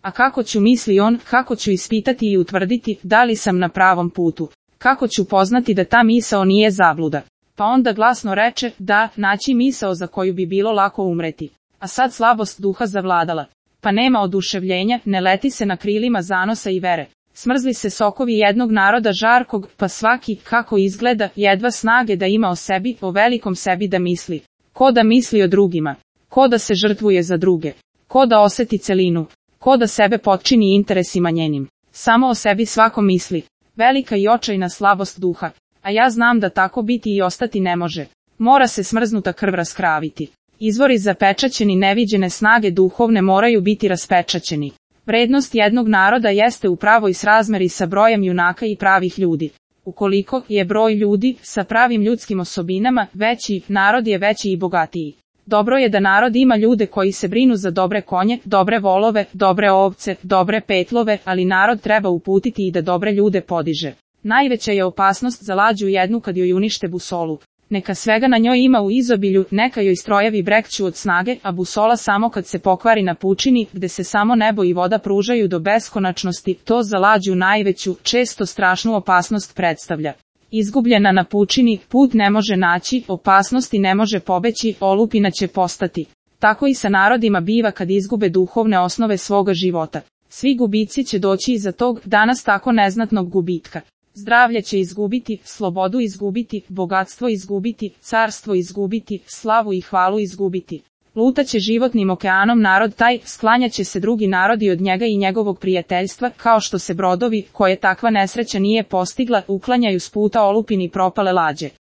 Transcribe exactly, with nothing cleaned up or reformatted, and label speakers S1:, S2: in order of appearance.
S1: A kako ću, misli on, kako ću ispitati i utvrditi da li sam na pravom putu? Kako ću poznati da ta misao nije zabluda? Pa onda glasno reče, da, naći misao za koju bi bilo lako umreti. A sad slabost duha zavladala. Pa nema oduševljenja, ne leti se na krilima zanosa i vere. Smrzli se sokovi jednog naroda žarkog, pa svaki, kako izgleda, jedva snage da ima o sebi, o velikom sebi da misli. Ko da misli o drugima? Ko da se žrtvuje za druge? Ko da oseti celinu? Ko da sebe potčini interesima njenim? Samo o sebi svako misli. Velika i očajna slabost duha. A ja znam da tako biti i ostati ne može. Mora se smrznuta krv raskraviti. Izvori zapečaćeni neviđene snage duhovne moraju biti raspečaćeni. Vrednost jednog naroda jeste u pravoj srazmeri sa brojem junaka i pravih ljudi. Ukoliko je broj ljudi sa pravim ljudskim osobinama veći, narod je veći i bogatiji. Dobro je da narod ima ljude koji se brinu za dobre konje, dobre volove, dobre ovce, dobre petlove, ali narod treba uputiti i da dobre ljude podiže. Najveća je opasnost za lađu jednu kad joj unište busolu. Neka svega na njoj ima u izobilju, neka joj strojevi brekću od snage, a busola samo kad se pokvari na pučini, gde se samo nebo i voda pružaju do beskonačnosti, to za lađu najveću, često strašnu opasnost predstavlja. Izgubljena na pučini, put ne može naći, opasnosti ne može pobeći, olupina će postati. Tako i sa narodima biva kad izgube duhovne osnove svoga života. Svi gubici će doći iza tog, danas tako neznatnog gubitka. Zdravlje će izgubiti, slobodu izgubiti, bogatstvo izgubiti, carstvo izgubiti, slavu i hvalu izgubiti. Lutaće životnim okeanom narod taj, sklanjaće se drugi narodi od njega i njegovog prijateljstva, kao što se brodovi, koje takva nesreća nije postigla, uklanjaju s puta olupini propale lađe.